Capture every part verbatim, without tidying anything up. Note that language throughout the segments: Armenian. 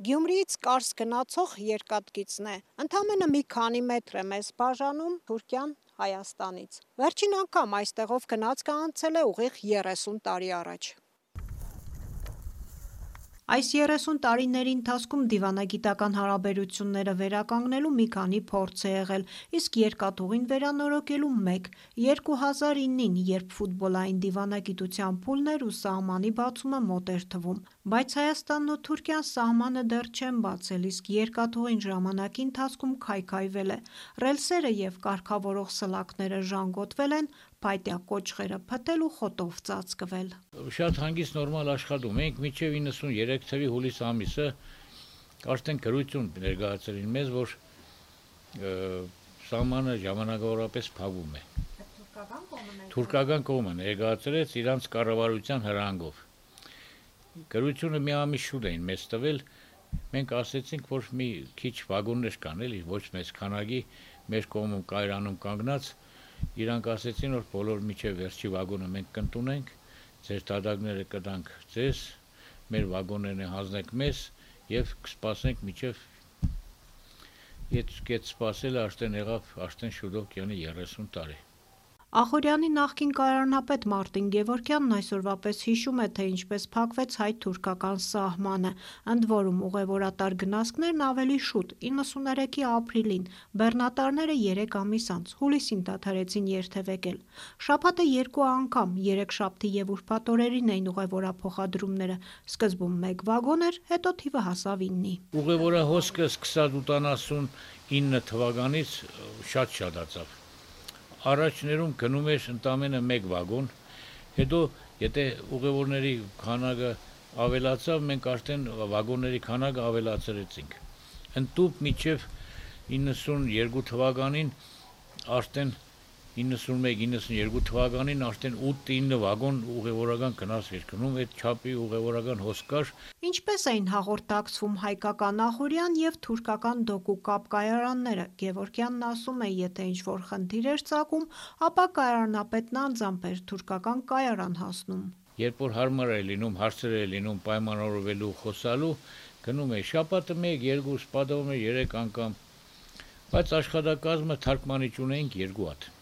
Գյումրիից Կարս գնացող երկաթգիծն է, ընդամենը մի քանի մետր է մեզ բաժանում Թուրքիան Հայաստանից։ Վերջին անգամ այստեղով գնացքը անցել է ուղիղ երեսուն տարի առաջ։ Այս երեսուն տարիների ընթացքում դիվանագիտական հարաբերությունները վերականգնելու մի քանի փորձ է եղել, իսկ երկաթուղին վերանորոգելու մեկ։ երկու հազար իննին, երբ ֆուտբոլային դիվանագիտության փուլն էր ու սահմանի բացումը մոտ էր թվում, բայց Հայաստանն ու Թուրքիան սահմանը դեռ չեն բացել, իսկ երկաթուղին ժամանակի ընթացքում քայքայվել է, ռելսերը և կարգավորող սլաքները ժանգոտվել են, փայտյա կոճղերը փտել ու խոտով ծածկվել։ Շատ հանգիստ նորմալ աշխատում ենք, մինչև իննսուններեք թվականի հուլիս ամիսը արդեն գրություն ներկայացրին մեզ, որ սահմանը ժամանակավորապես փակվում է։ Թուրքական կողմը ներկայացրեց իրանց կառավարության հրահանգով։ Գրությունը մի ամիս շուտ էին մեզ տվել, մենք ասեցինք, որ մի քիչ վագոններ կան, էլի ոչ մեծ քանակի մեր կողմում կայարանում կանգնած, իրանք ասեցին, որ բոլոր միջև վերջի վագոնը մենք կընդունենք, ձեր դատակները կտանք ձեզ, մեր վագոններն հանձնեք մեզ եւ կսպասենք միջև Այդ սպասելը արդեն եղավ, արդեն շուտով կյանի երեսուն տարի։ Ախուրյանի նախկին կայարանապետ Մարտին Գևորգյանն այսօրվա պես հիշում է, թե ինչպես փակվեց հայ-թուրքական սահմանը, ընդ որում ուղևորատար գնացքներն ավելի շուտ, իննսուններեքի ապրիլին, բեռնատարները երեք ամիս անց, հուլիսին դադարեցին երթևեկել։ Շաբաթը երկու անգամ, երեքշաբթի և ուրբաթ օրերին էին ուղևորափոխադրումները, սկզբում մեկ վագոն էր, հետո թիվը հասավ իննի։ Ուղևորահոսքը սկսած ութանասունինը թվականից շատ շատացավ։ Առաջներում գնում էր ընդամենը մեկ վագոն, հետո եթե ուղևորների քանակը ավելացավ, մենք արդեն վագոնների քանակը ավելացրեցինք։ Ընդտուպ մինչև իննսունյոթ թվականին արդեն իննսունմեկ իննսունյոթ թվականին արդեն ութ-ինը վագոն ուղևորական գնաց էր գնում, այդ չափի ուղևորական հոսք կար։ Ինչպես էին հաղորդակցվում հայկական Ախուրյան և թուրքական Դոկու կապ կայարանները։ Գևորգյանն ասում է, եթե ինչ-որ խնդիր էր ծագում, ապա կայարանապետն անձամբ էր թուրքական կայարան հասնում։ Երբ որ հարմար էր լինում, հարցեր էր լինում պայմանավորվելու, խոսալու, գնում էի շաբաթը մեկ, երկու, սպասում էր երեք անգամ, բայց աշխատակազմը թարգմանիչ ունեինք երկու հատ։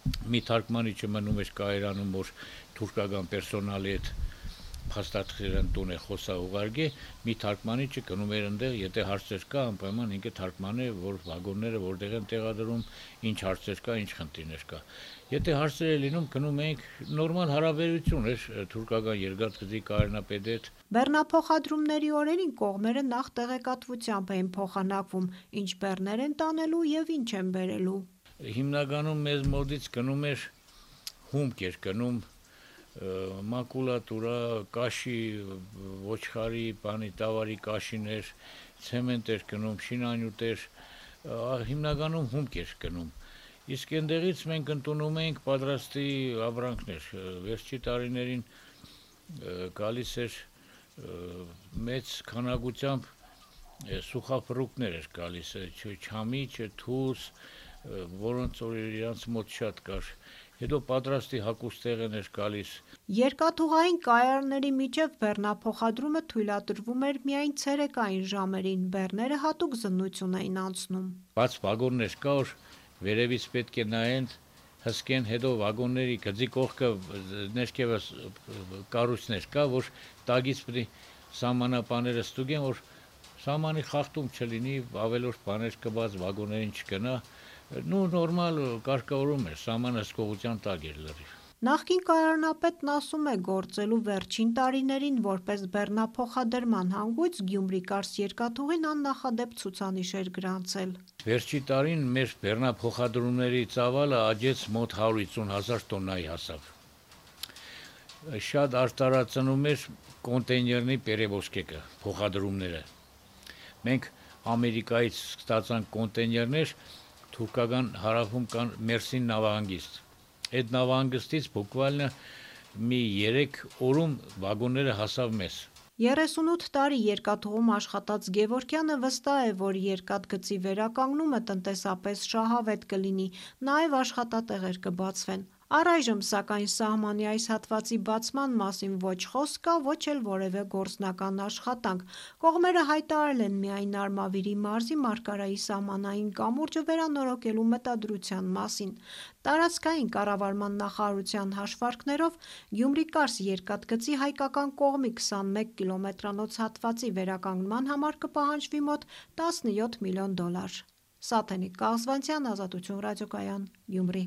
Մի թարգմանիչը մնում էր կայարանում, որ թուրքական պերսոնալի հետ փաստաթղթերն տուն է խոսա ուղարկե, մի թարգմանիչը գնում էր այնտեղ, եթե հարցեր կա, անպայման ինքը թարգմանե, որ վագոնները որտեղ են տեղադրում, ինչ հարցեր կա, ինչ խնդիրներ կա։ Եթե հարցեր է լինում, գնում էինք, նորմալ հարաբերություն էր թուրքական երկաթգծի կայարանապետի հետ։ Բեռնափոխադրումների օրերին կողմերը նախ տեղեկատվությամբ էին փոխանակվում, ինչ բեռներ են տանելու և ինչ են բերելու։ Հիմնականում մեզ մոտից գնում էր հումք էր գնում, մակուլատուրա, կաշի, ոչխարի, բանի տավարի կաշիներ, ցեմենտ էր գնում, շինանյութեր, հիմնականում հումք էր գնում։ Իսկ այնտեղից մենք ընդունում էինք պատրաստի ապրանքներ, վերջի տարիներին գալիս էր մեծ քանակությամբ սուխափռուկներ էր գալիս, չամիչ, թուս, որոնց որ իրանց մոտ շատ կար, հետո պատրաստի հագուստեղեն էր գալիս։ Երկաթուղային կայարանների միջև բեռնափոխադրումը թույլատրվում էր միայն ցերեկային ժամերին, բեռները հատուկ զննություն էին անցնում։ Բաց վագոններ կա, որ վերևից պետք է նայեն, հսկեն, հետո վագոնների գծի կողքը ներքևս կառույցներ կա, որ տակից պետք է սահմանապաները ստուգեն, որ սահմանի խախտում չլինի, ավելորդ բաներ կբաց վագոններին չգնա, նու նորմալ կարգավորում էր, սահմանը հսկողության տակ էր լրիվ։ Նախկին կայարանապետն ասում է, գործելու վերջին տարիներին որպես բեռնափոխադրման հանգույց Գյումրի-Կարս երկաթուղին աննախադեպ ցուցանիշ էր գրանցել։ Վերջի տարին մեր բեռնափոխադրումների ծավալը աճեց մոտ հարյուր հիսուն հազար տոննայի հասավ։ Շատ արտարացնում էր կոնտեյներների պերևոզկեկը, փոխադրումները։ Մենք Ամերիկայից ստացանք կոնտեյներներ, թուրքական հարավում կան Մերսին նավահանգիստ։ Այդ նավահանգստից բուկվալնը մի երեք օրում վագոնները հասավ մեզ։ երեսունութ տարի երկաթուղում աշխատած Գևորգյանը վստահ է, որ երկաթգծի վերականգնումը տնտեսապես շահավետ կլինի, նաև աշխատատեղեր կբացվեն։ Առայժմ, սակայն, սահմանի այս հատվածի բացման մասին ոչ խոսք կա, ոչ էլ որևէ գործնական աշխատանք։ Կողմերը հայտարարել են միայն Արմավիրի մարզի Մարգարայի սահմանային կամուրջը վերանորոգելու մտադրության մասին։ Տարածքային կառավարման նախարարության հաշվարկներով Գյումրի-Կարս երկաթգծի հայկական կողմի քսանմեկ կիլոմետրանոց հատվածի վերականգնման համար կպահանջվի մոտ տասնյոթ միլիոն դոլար։ Սաթենիկ Կաղզվանցյան, Ազատություն ռադիոկայան, Գյումրի։